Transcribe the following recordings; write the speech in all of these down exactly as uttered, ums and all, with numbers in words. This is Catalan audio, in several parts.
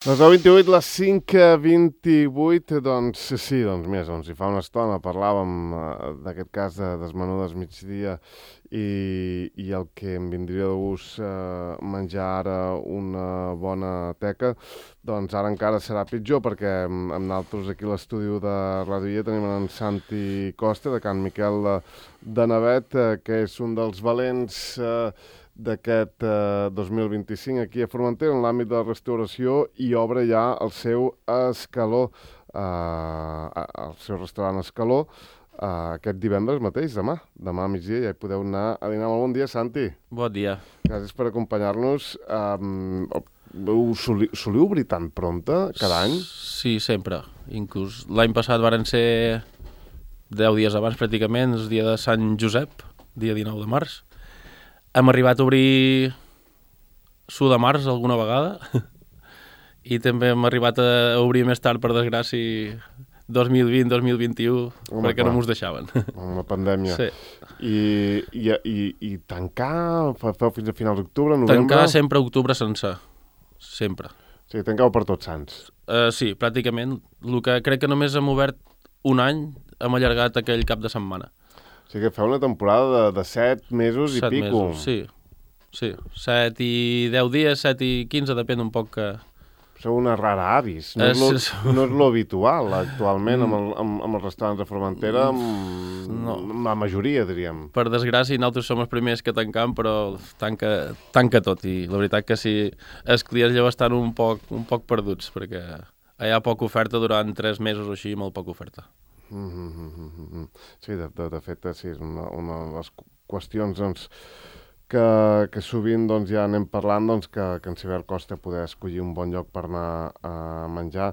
Les deu vint-i-vuit, les cinc vint-i-vuit, doncs sí, doncs més, doncs hi fa una estona parlàvem eh, d'aquest cas de desmenudes migdia i, i el que em vindria de gust eh, menjar ara una bona teca, doncs ara encara serà pitjor perquè amb, amb nosaltres aquí a l'estudi de Ràdio Illa tenim en Santi Costa, de Can Miquel de, de Navet, eh, que és un dels valents eh, d'aquest eh, dos mil vint-i-cinc aquí a Formentera en l'àmbit de la restauració i obre ja el seu Escaló, eh, el seu restaurant Escaló, eh, aquest divendres mateix, demà, demà a migdia ja hi podeu anar a dinar. Molt bon dia, Santi. Bon dia. Gràcies per acompanyar-nos. Um, soliu, soliu obrir tan prompte cada any? Sí, sempre. Inclús l'any passat varen ser deu dies abans pràcticament, el dia de Sant Josep, dia dinou de març. Hem arribat a obrir su de març alguna vegada i també hem arribat a obrir més tard, per desgràcia, dos mil vint dos mil vint-i-u, Home, perquè clar. No mos deixaven. Amb la pandèmia. Sí. I, i, i, i tancar, feu fins a finals d'octubre, novembre? Tancar sempre a octubre sencer, sempre. O sigui, tancau per Tots Sants. Uh, sí, pràcticament. El que crec que només hem obert un any, hem allargat aquell cap de setmana. O sigui que feu una temporada de, de set mesos i set pico. Mesos, sí. Sí, set i deu dies, set i quinze, depèn un poc que... Sou una rara avis. No és, lo, és... no és lo habitual actualment amb, el, amb, amb els restaurants de Formentera, amb, no. amb la majoria, diríem. Per desgràcia, nosaltres som els primers que tancam, però tanca, tanca tot. I la veritat que sí, els clients ja estan un poc, un poc perduts, perquè hi ha poca oferta durant tres mesos o així, molt poca oferta. Mm-hmm. Sí, de, de, de fet, sí, és una, una de les qüestions doncs, que, que sovint doncs, ja anem parlant, doncs, que, que en Cibert costa poder escollir un bon lloc per anar a menjar.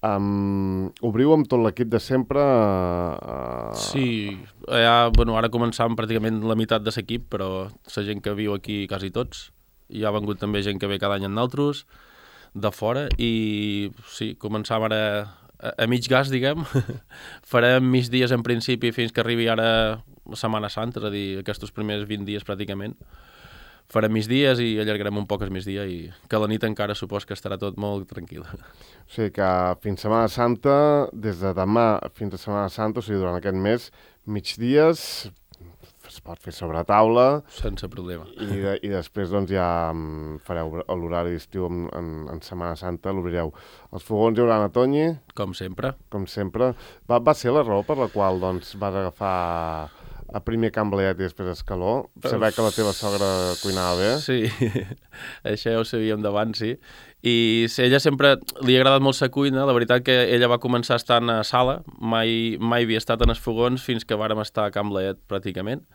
Um, obriu amb tot l'equip de sempre? Uh... Sí, ja, bueno, ara començàvem pràcticament la meitat de l'equip, però la gent que viu aquí quasi tots. Hi ha vengut també gent que ve cada any amb nosaltres, de fora, i sí, començàvem ara a, a mig gas, diguem. Farem mig dies en principi fins que arribi ara la Setmana Santa, és a dir, aquests primers vint dies pràcticament. Farem mig dies i allargarem un poc el migdia i que la nit encara supos que estarà tot molt tranquil. O sigui que fins Setmana Santa, des de demà fins a Setmana Santa, o sigui, durant aquest mes, migdies, es pot fer sobre taula. Sense problema. I, de, i després doncs, ja fareu l'horari d'estiu en, en, en Setmana Santa, l'obrireu. Els fogons hi haurà a Toñi. Com sempre. Com sempre. Va, va ser la raó per la qual doncs, vas agafar a primer Can Blaiet i després Escaló? Saber que la teva sogra cuinava bé? Sí, això ja ho sabíem d'abans, sí. I ella sempre li ha agradat molt la cuina. La veritat que ella va començar estant a sala, mai, mai havia estat en els fogons fins que vàrem estar a Can Blaiet, pràcticament.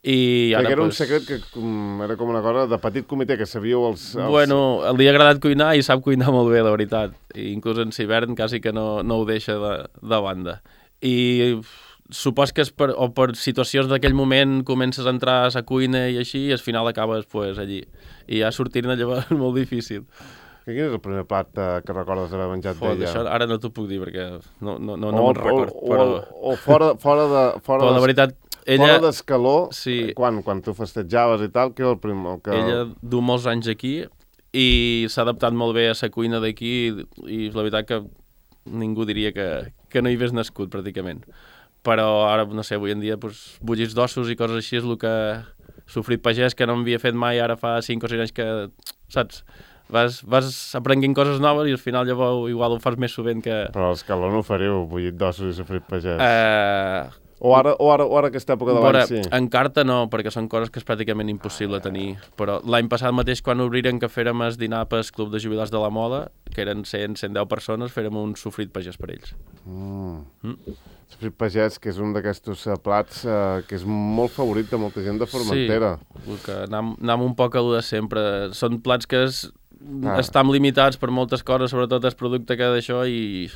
I ara, era pues... un secret que com, era com una cosa de petit comitè, que sabíeu els, els... Bueno, li ha agradat cuinar i sap cuinar molt bé, la veritat. I inclús en hivern quasi que no, no ho deixa de, de banda. I supos que és per, o per situacions d'aquell moment comences a entrar a la cuina i així, i al final acabes pues, allí. I ja sortir-ne llavors és molt difícil. Quin és el primer plat eh, que recordes d'haver menjat Fot, d'ella? Això ara no t'ho puc dir perquè no, no, no, no me'n record. O, però... o, o fora, fora de... Fora però la veritat, ella... Fora d'Escaló, sí. quan, quan tu festejaves i tal, què era el primer? Que... Ella du molts anys aquí i s'ha adaptat molt bé a la cuina d'aquí i la veritat que ningú diria que, que no hi hagués nascut pràcticament. Però ara, no sé, avui en dia pues, bullits d'ossos i coses així és el que sofrit pagès, que no m'havia fet mai ara fa cinc o sis anys que, saps, vas, vas aprenguent coses noves i al final llavors igual ho fas més sovint que... Però a l'Escaló no ho fareu, bullit d'ossos i sofrit pagès. Uh... O ara, o ara, o ara aquesta època de l'any, sí? En carta no, perquè són coses que és pràcticament impossible tenir. Però l'any passat mateix, quan obriren que fèrem el dinar pel Club de Jubilats de la Moda, que eren cent a cent deu persones, fèrem un sofrit pagès per ells. Mm. Mm. Sofrit pagès, que és un d'aquests plats eh, que és molt favorit de molta gent de Formentera. Sí, que anem, anem un poc a lo de sempre. Són plats que es, ah. estan limitats per moltes coses, sobretot el producte que d'això, i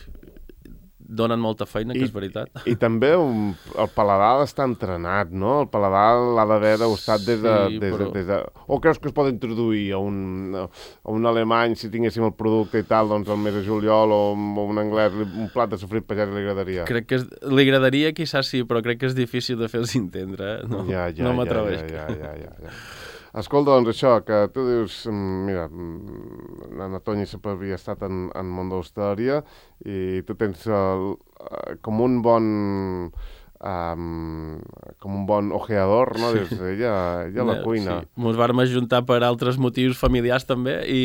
donen molta feina, que I, és veritat. I també un, el paladar està entrenat, no? El paladar l'ha d'haver degustat des de, sí, des, però... des de... O creus que es pot introduir a un, a un alemany, si tinguéssim el producte i tal, doncs el mes de juliol, o un anglès, un plat de sofrit pagès li agradaria? Crec que és, li agradaria, quizás sí, però crec que és difícil de fer-los entendre. Eh? No, ja, ja, no m'atreveix. Ja, ja, ja, ja, ja. Escolta, doncs això, que tu dius, mira, en Toni sempre havia estat en, en món de l'hostaleria i tu tens el, com un bon... Um, com un bon ojeador, no? Dius, ella, ella a la cuina. Sí, mos vam ajuntar per altres motius familiars també i,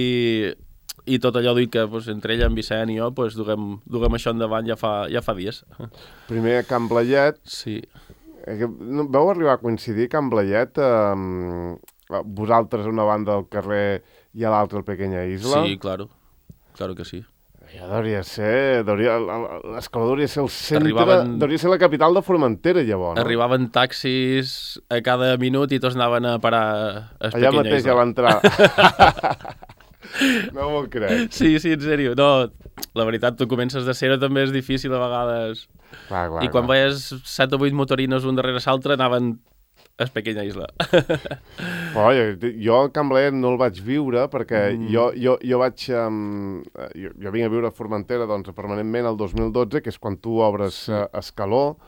i tot allò dic que pues, entre ella, en Vicent i jo pues, duguem, duguem això endavant ja fa, ja fa dies. Primer a Can Blaiet. Sí. Vau arribar a coincidir Can Blaiet, eh, vosaltres a una banda del carrer i a l'altra al Pequeña Isla? Sí, claro, claro que sí. Ja hauria ser, l'Escaló hauria ser el centre, Arribaven, hauria ser la capital de Formentera, llavors, no? Arribaven taxis a cada minut i tots anaven a parar a Allà mateix Isla. ja va entrar. No m'ho crec. Sí, sí, en sèrio. No, la veritat, tu comences de zero també és difícil a vegades. Clar, clar, I quan clar. veies set o vuit motorines un darrere l'altre anaven a Pequeña Isla. Però jo, jo a Can Blaiet no el vaig viure perquè mm. jo, jo, jo vaig... Um, jo, jo vinc a viure a Formentera doncs, permanentment el dos mil dotze, que és quan tu obres sí. uh, Escaló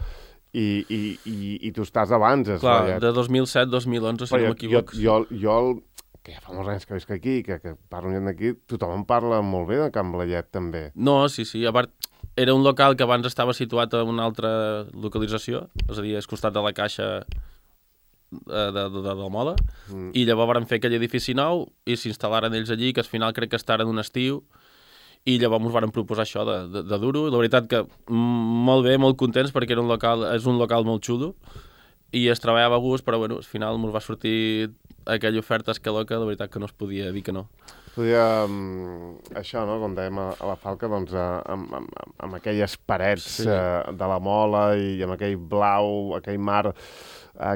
i, i, i, i tu estàs abans. Clar, Blaiet. de dos mil set a dos mil onze, si Però no m'equivoc. Jo, jo, jo el, que ja fa molts anys que visc aquí, que, que parlo gent d'aquí, tothom en parla molt bé de Can Blaiet, també. No, sí, sí. A part, era un local que abans estava situat a una altra localització, és a dir, és costat de la Caixa de, de, de, de la moda, mm. i llavors van fer aquell edifici nou i s'instal·laren ells allí, que al final crec que estaren un estiu, i llavors ens van proposar això de, de, de dur-ho. La veritat que molt bé, molt contents, perquè era un local, és un local molt xulo, i es treballava a gust, però bueno, al final ens va sortir aquella oferta Escaló que la veritat que no es podia dir que no. Podia, um, això, no?, com dèiem a, a la Falca, doncs, uh, amb, amb, amb aquelles parets sí. uh, de la Mola i amb aquell blau, aquell mar uh,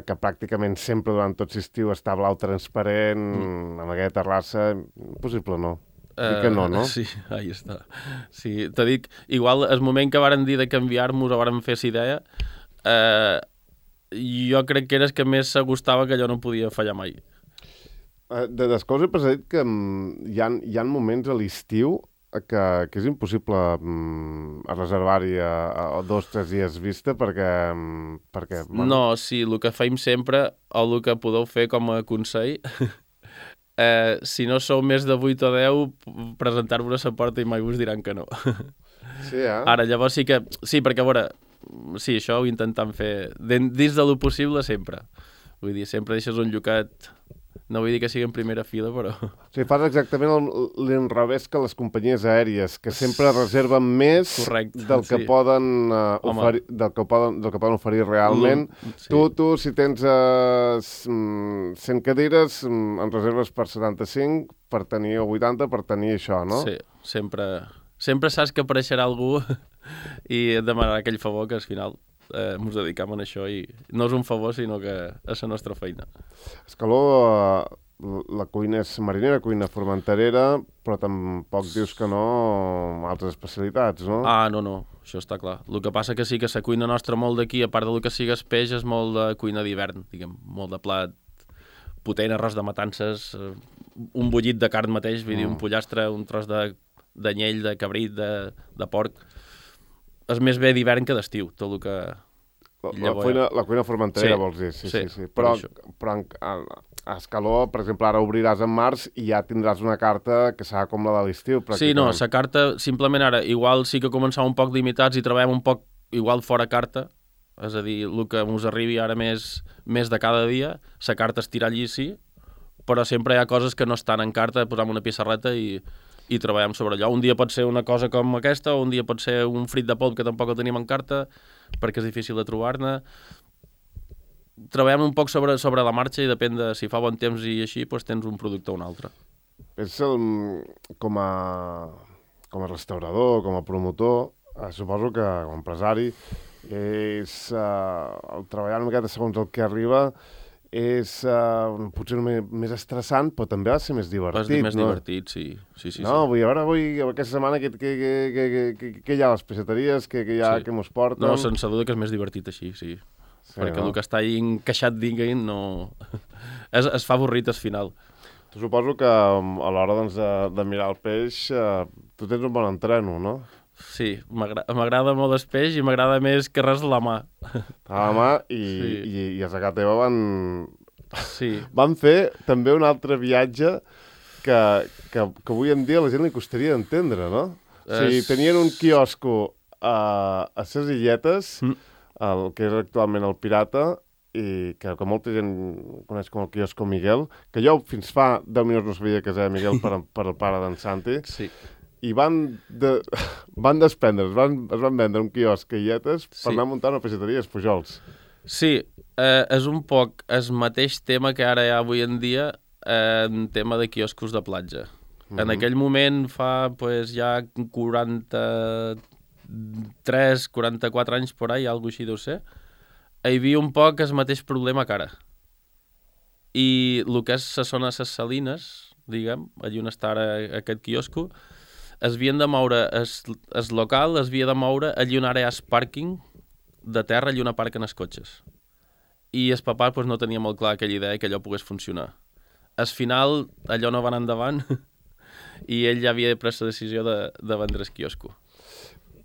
que pràcticament sempre durant tot l'estiu està blau transparent, mm. amb aquella terrassa, impossible no. Dic que no, no? Uh, sí, ahí està. Sí, t'ho dic, igual el moment que varen dir de canviar-nos o varen fer la idea, uh, jo crec que era el que més s'agustava, que allò no podia fallar mai. De Descos he pensat que um, hi, ha, hi ha moments a l'estiu que, que és impossible um, reservar-hi a, a dos o tres dies vista perquè... Um, perquè bueno... No, sí, el que feim sempre, o el que podeu fer com a consell, eh, si no sou més de vuit o deu, presentar-vos a la porta i mai us diran que no. Sí, eh? Ara, llavors sí que... Sí, perquè a veure, sí, això ho intentem fer dins de lo possible sempre. Vull dir, sempre deixes un llocat... No vull dir que sigui en primera fila, però... O sigui, fas exactament l'inrevés que les companyies aèries, que sempre reserven més Correcte, del, que sí. poden, uh, oferir, del, que poden, del que poden oferir realment. Sí. Tu, tu, si tens uh, cent cadires, en reserves per setanta-cinc, per tenir, o vuitanta, per tenir això, no? Sí, sempre, sempre saps que apareixerà algú i et demanarà aquell favor que al final... Eh, ens dedicam a això i no és un favor sinó que és la nostra feina. Escaló, la cuina és marinera, cuina formenterera, però tampoc dius que no altres especialitats, no? Ah, no, no, això està clar. El que passa que sí que la cuina nostra molt d'aquí, a part del que sigui el peix, és molt de cuina d'hivern, diguem, molt de plat potent, arròs de matances, un bullit de carn mateix, vull dir, un pollastre, un tros d'anyell, de, de cabrit, de, de porc. És més bé d'hivern que d'estiu, tot el que... La, la, cuina, la cuina formenterera, sí, vols dir, sí, sí, sí. sí. Però, per però a, a Escaló, per exemple, ara obriràs en març i ja tindràs una carta que serà com la de l'estiu, Sí, no, la carta, simplement ara, igual sí que començava un poc limitats i treballem un poc igual fora carta, és a dir, el que ens arribi ara més, més de cada dia, la carta estirà allí, sí, però sempre hi ha coses que no estan en carta, posam una pissarreta i... i treballem sobre allò. Un dia pot ser una cosa com aquesta, o un dia pot ser un frit de polp que tampoc el tenim en carta, perquè és difícil de trobar-ne. Treballem un poc sobre, sobre la marxa i depèn de si fa bon temps i així, doncs tens un producte o un altre. És el, com, a, com a restaurador, com a promotor, eh, suposo que com a empresari, és eh, el treballar una miqueta segons el que arriba, és uh, potser més, més estressant, però també ha de ser més divertit, és més no? divertit, sí. sí, sí no, sí. vull, a veure, avui, aquesta setmana, què, què, què, què, què, què hi ha a les pesseteries, què, què hi ha, sí. Què mos porten? No, sense duda que és més divertit així, sí. sí Perquè no? El que està ahí encaixat dins no... es, es fa avorrit al final. Tu suposo que a l'hora doncs, de, de mirar el peix, uh, tu tens un bon entreno, no? Sí, m'agrada molt el peix i m'agrada més que res la mà. A la mà i, sí. i, i a la casa teva van... Sí. van fer també un altre viatge que, que, que avui en dia a la gent li costaria d'entendre, no? O sigui, Es... tenien un quiosco a, a ses Illetes, Mm. el que és actualment el Pirata, i que, que molta gent coneix com el quiosco Miguel, que jo fins fa deu minuts no sabia que es deia Miguel per, per el pare d'en Santi, Sí. i van, de, van desprendre, es van, es van vendre un quiosc a Illetes per Sí. anar a muntar una peixateria als Pujols. Sí, eh, és un poc el mateix tema que ara hi ha avui en dia eh, en tema de quioscos de platja. Mm-hmm. En aquell moment, fa pues, ja quaranta-tres, quaranta-quatre anys por ahí, alguna així deu ser, hi havia un poc el mateix problema que ara. I el que és la zona de les Salines, diguem, allà on està ara aquest quiosco, es havien de moure, el local es havia de moure allà on ara hi ha el pàrquing de terra, allà on aparquen els cotxes. I el papà pues, no tenia molt clar aquella idea que allò pogués funcionar. Al final, allò no va anar endavant i ell ja havia pres la decisió de, de vendre el quiosco.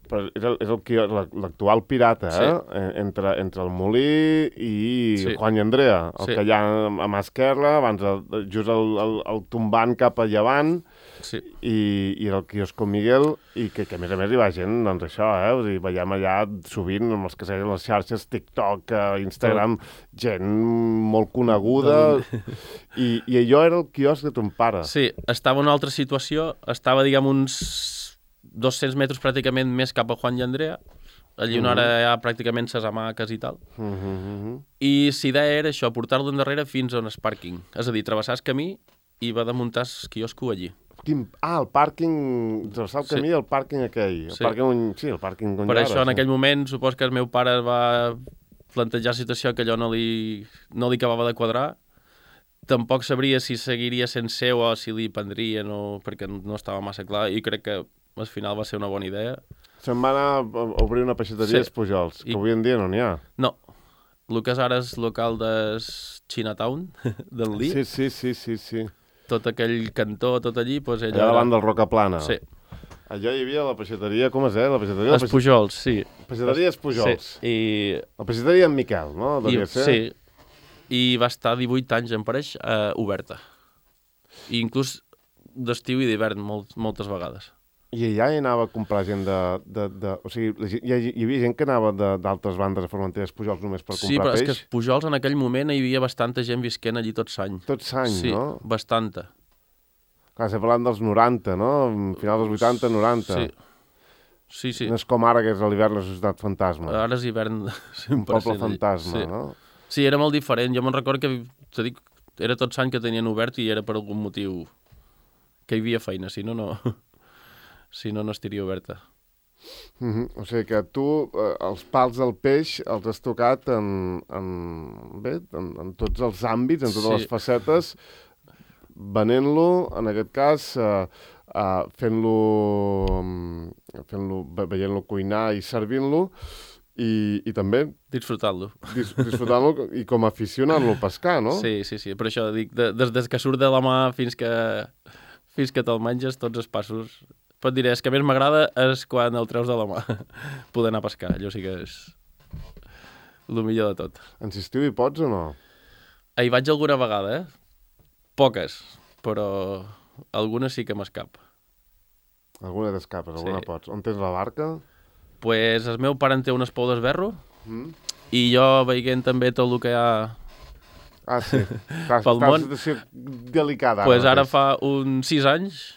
Però és el- és el qui- l'actual Pirata, Sí. eh? Entre, entre el Molí i Sí. Juan i Andrea, el Sí. que hi ha a mà esquerra, abans el, just el, el, el tombant cap a llevant, Sí. i, i el quiosco Miguel, i que, que a més a més hi va gent, doncs això, eh? O sigui, veiem allà sovint amb els que segueixen les xarxes, TikTok, eh, Instagram, gent molt coneguda, i, i allò era el quiosc de ton pare. Sí, estava en una altra situació, estava, diguem, uns dos-cents metres pràcticament més cap a Juan i Andrea, allà on ara hi ha pràcticament ses hamaques i tal. Uh -huh, uh -huh. I la idea era això, portar-lo endarrere fins on és pàrquing. És a dir, travessar el camí i va de muntar el quiosco allí. Quin... Ah, el pàrquing, travessar el Sí. camí, el pàrquing aquell. El Sí. pàrquing on... Sí, el pàrquing on Per hi ha això, ara, en sí. aquell moment, supos que el meu pare va plantejar la situació que allò no li, no li acabava de quadrar. Tampoc sabria si seguiria sent seu o si li prendrien, o... perquè no estava massa clar, i crec que al final va ser una bona idea. Se'n va anar a obrir una peixateria Sí. als Pujols, que I- avui en dia no n'hi ha. No, el que és ara és local de Chinatown, del Lee. Sí, sí, sí, sí, sí. Tot aquell cantó, tot allí, doncs ell Allà davant del Rocaplana. Sí, Allò hi havia la peixateria, com es deia? La peixateria, els Pujols, sí. peixateria dels Pujols. Sí, i, La peixateria en Miquel, no? i, Devia ser. sí, i va estar divuit anys, em pareix, eh, oberta. I inclús d'estiu i d'hivern, molt, moltes vegades. I allà hi anava a comprar gent de... de, de o sigui, la gent- hi, hi havia gent que anava de- d'altres bandes a Formentera als Pujols només per Sí, però comprar és que peix? els Pujols en aquell moment hi havia bastanta gent visquent allí tot l'any. Tot l'any, Sí, no? bastanta. Clar, estem parlant dels noranta, no? Final dels vuitanta, noranta. Sí, sí, sí. No és com ara, que és a l'hivern la societat fantasma. Ara és hivern Un cent per cent poble allí. fantasma, Sí. no? Sí, era molt diferent. Jo me'n recordo que, te dic, era tot l'any que tenien obert i era per algun motiu que hi havia feina, si no, no, si no, no estaria oberta. Mm -hmm. O sigui que tu eh, els pals del peix els has tocat en, en, bé, en, en tots els àmbits, en totes Sí. les facetes, venent-lo, en aquest cas, eh, eh, fent-lo, mm, fent-lo, ve- veient-lo cuinar i servint-lo, i, i també Disfrutant-lo. dis disfrutant-lo i com aficionant-lo a pescar, no? Sí, sí, sí. Per això dic, de, des, des que surt de la mà fins que, fins que te'l menges, tots els passos. Però et diré, el que més m'agrada és quan el treus de la mà, poder anar a pescar. Allò sí que és el millor de tot. En estiu hi pots o no? Hi vaig alguna vegada, eh? Poques, però algunes sí que m'escap. Alguna t'escapes, alguna Sí. pots. On tens la barca? Pues el meu pare en té unes pou d'esberro Mm? i jo veient també tot el que hi ha... Ah, sí. Estàs, Pel estàs en món. situació delicada. Pues ara mateix. fa uns sis anys,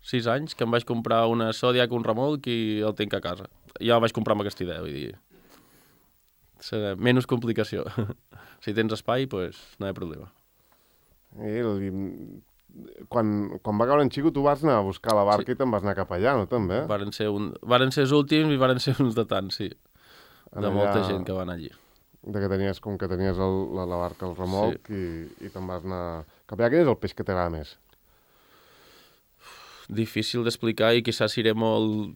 sis anys, que em vaig comprar una Zodiac, un remolc i el tinc a casa. Ja el vaig comprar amb aquesta idea, vull dir... Serà menys complicació. Si tens espai, pues no hi ha problema. I, el, quan, quan va caure en Xico, tu vas anar a buscar la barca Sí. i te'n vas anar cap allà, no, també? Varen ser, un... Varen ser els últims i varen ser uns de tants, sí. En De allà, molta gent que va anar allí. De que tenies, com que tenies el, la, la barca al remolc sí. i, i te'n vas anar cap allà. Quin és el peix que t'agrada més? Difícil d'explicar i quizás seré molt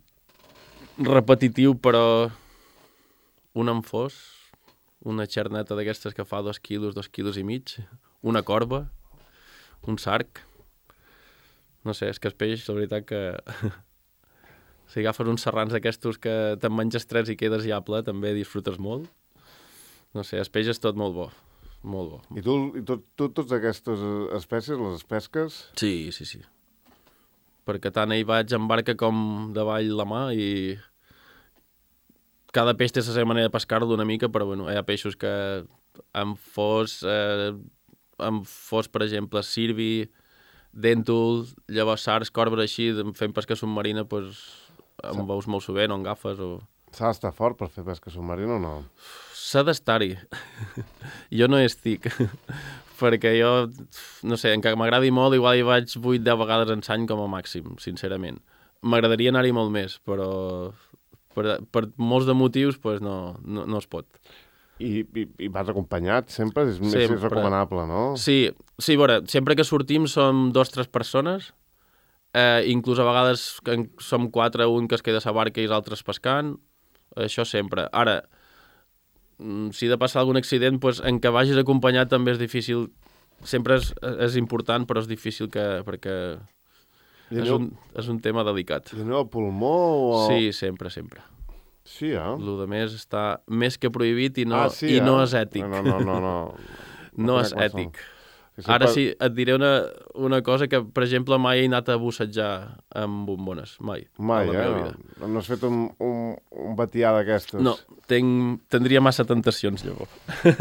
repetitiu, però un enfós, una xerneta d'aquestes que fa dos quilos, dos quilos i mig, una corba, un sarc. No sé, és que el peix, la veritat que... si agafes uns serrans d'aquestos que te'n menges tres i quedes ja ple, també disfrutes molt. No sé, el peix és tot molt bo. molt bo. I tu, i tu, tu totes aquestes espècies les pesques? Sí, sí, sí. Perquè tant hi vaig en barca com davall la mà i cada peix té la seva manera de pescar-lo una mica, però bueno, hi ha peixos que amb fos, eh, amb fos, per exemple, sirvi, dèntul, llavors sars, corbra així, fent pesca submarina, doncs, amb veus molt sovint o amb gafes o... S'ha d'estar fort per fer pesca submarina o no? S'ha d'estar-hi. Jo no hi estic, perquè jo, no sé, encara m'agradi molt, igual hi vaig vuit deu vegades en l'any com a màxim, sincerament. M'agradaria anar-hi molt més, però per, per molts de motius pues, no, no, no es pot. I, i, i vas acompanyat sempre? És més Sempre. recomanable, no? Sí, sí, a veure, sempre que sortim som dos o tres persones, eh, inclús a vegades que som quatre, un que es queda a la barca i els altres pescant, això sempre. Ara, si de passar algun accident, pues, en què vagis acompanyat també és difícil, sempre és, és important, però és difícil que, perquè és, aneu, un, és un tema delicat. I aneu al pulmó? O... Sí, sempre, sempre. Sí, eh? Lo de més està més que prohibit i no, ah, sí, i eh? no és ètic. No, no, no, no. No, no és ètic. Sí, Ara sí, et diré una, una cosa que, per exemple, mai he anat a bussejar amb bombones, mai. Mai, eh? No, no has fet un, un, un batià d'aquestes? No, tenc, tindria massa tentacions, llavors.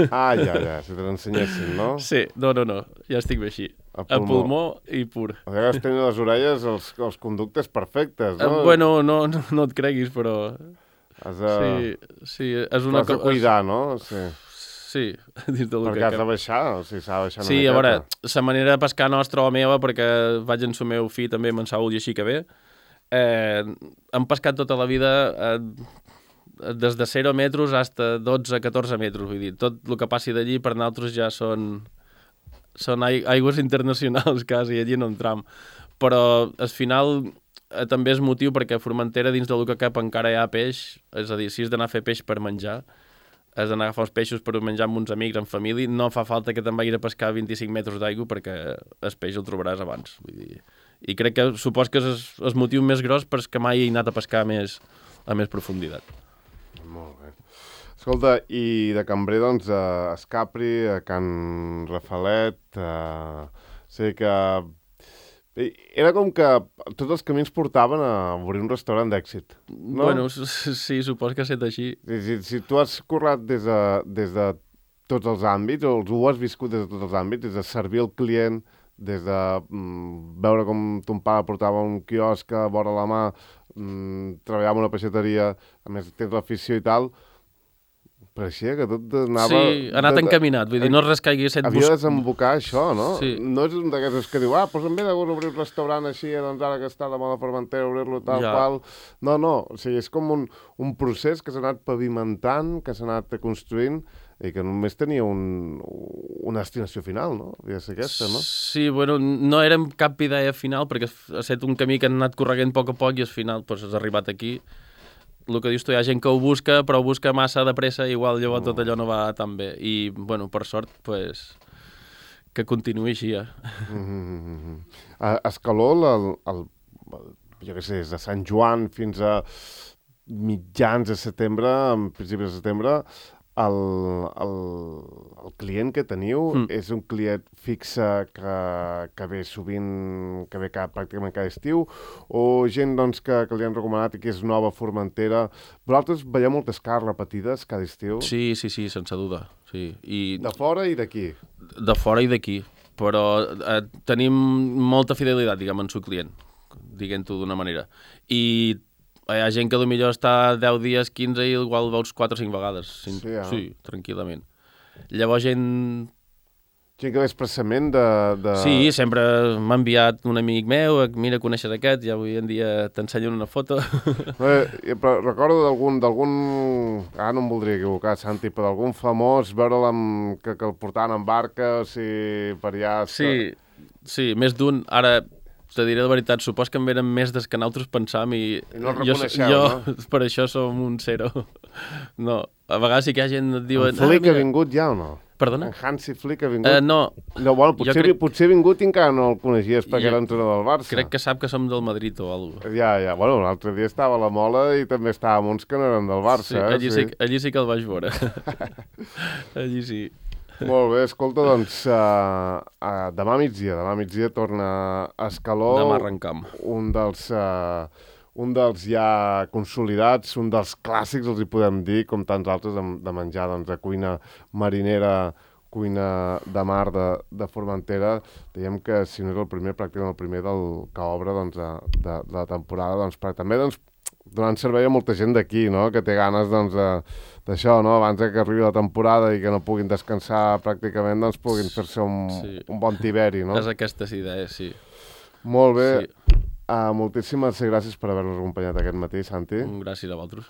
Ah, ja, ja, si te l'ensenyessin, no? Sí, no, no, no, ja estic bé així. A pulmó, a pulmó i pur. A vegades tenen les orelles, els, els conductes perfectes, no? Uh, bueno, no, no, no et creguis, però... Has de... Sí, sí, és una cosa... Has de cuidar, no? Sí. Sí, dins del perquè que... has de baixar, o sigui, s'ha de baixar una sí, miqueta. A veure, la manera de pescar nostra o meva, perquè vaig en el meu fill també, amb en Saúl i així que bé, eh, hem pescat tota la vida eh, des de zero metres fins a dotze a catorze metres, vull dir, tot el que passi d'allí per nosaltres ja són, són aigües internacionals quasi, allí no entram. Però al final eh, també és motiu perquè a Formentera dins del que cap encara hi ha peix, és a dir, si has d'anar a fer peix per menjar, has d'anar a agafar els peixos per menjar amb uns amics, en família, no fa falta que te'n vagis a pescar a vint-i-cinc metres d'aigua perquè el peix el trobaràs abans. Vull dir. I crec que supos que és el motiu més gros perquè mai he anat a pescar més, a més profunditat. Molt bé. Escolta, i de cambrer, doncs, a Escapri, a Can Rafalet, a... sé que... Era com que tots els camins portaven a obrir un restaurant d'èxit, no? Bueno, sí, supos que ha estat així. Si, si, si tu has currat des de, des de tots els àmbits, o ho has viscut des de tots els àmbits, des de servir el client, des de mm, veure com ton pare portava un quiosc a vora la mà, mm, treballar en una peixateria, a més tens l'afició i tal, pareixia que tot anava... Sí, ha anat de, encaminat, vull dir, no és res que hagi estat... Havia de desembocar això, no? Sí. No és un d'aquests que diu, ah, doncs em ve de gust obrir un restaurant així, doncs ara que està de moda Formentera, obrir-lo tal ja. Qual... No, no, o sigui, és com un, un procés que s'ha anat pavimentant, que s'ha anat construint, i que només tenia un, una destinació final, no? Havia de ser aquesta, no? Sí, bueno, no érem cap idea final, perquè ha estat un camí que han anat correguent a poc a poc i al final doncs, has arribat aquí. El que dius tu, hi ha gent que ho busca, però ho busca massa de pressa i igual llavors tot allò no va tan bé. I, bueno, per sort, pues, que continuï així, ja. Mm-hmm. A Escaló, el, el, el, jo què sé, des de Sant Joan fins a mitjans de setembre, en principis de setembre, el, el, el client que teniu mm. és un client fixe que, que ve sovint, que ve cada, pràcticament cada estiu, o gent doncs, que, que li han recomanat i que és nova a Formentera. Vosaltres veieu moltes cares repetides cada estiu? Sí, sí, sí, sense duda. Sí. I... De fora i d'aquí? De fora i d'aquí, però eh, tenim molta fidelitat, diguem, en el client, diguem-ho d'una manera. I hi ha gent que potser està deu dies, quinze i igual veus quatre o cinc vegades. Sí, eh? Sí, tranquil·lament. Llavors gent... Gent que ve expressament de... de... Sí, sempre m'ha enviat un amic meu, mira, coneixes aquest, ja avui en dia t'ensenyen una foto. Eh, però recordo d'algun, d'algun... Ah, no em voldria equivocar, Santi, però d'algun famós, veure'l amb... que, que el portaven en barca, o sigui, per allà... Sí, sí, més d'un. Ara... Te diré la veritat, supos que en venen més des que nosaltres pensam i... I no el reconeixeu, jo, no? Per això som un zero. No, a vegades sí que hi ha gent que et diuen... En Flick ah, ha vingut ja o no? Perdona? En Hansi Flick ha vingut? Uh, no. No, bueno, potser, crec... potser ha vingut i encara no el coneixies perquè jo... era entrenador del Barça. Crec que sap que som del Madrid o alguna cosa. Ja, ja. Bueno, l'altre dia estava a la Mola i també estàvem uns que no eren del Barça. Sí, allí, eh? sí, allí sí que el vaig veure. Allí sí. Molt bé, escolta, doncs, uh, uh, demà migdia, demà migdia torna a Escaló. Demà arrencam. Un dels, uh, un dels ja consolidats, un dels clàssics, els hi podem dir, com tants altres, de, de menjar, doncs, de cuina marinera, cuina de mar de, de Formentera. Diem que, si no és el primer, pràcticament el primer del que obre, doncs, de, de, de la temporada, doncs, per també, doncs, donant servei a molta gent d'aquí, no?, que té ganes, doncs, d'això, no?, abans que arribi la temporada i que no puguin descansar pràcticament, doncs, puguin fer-se un, sí. un bon tiberi, no? És aquestes idees, sí. Molt bé. Sí. Uh, moltíssimes gràcies per haver-nos acompanyat aquest matí, Santi. Gràcies a vosaltres.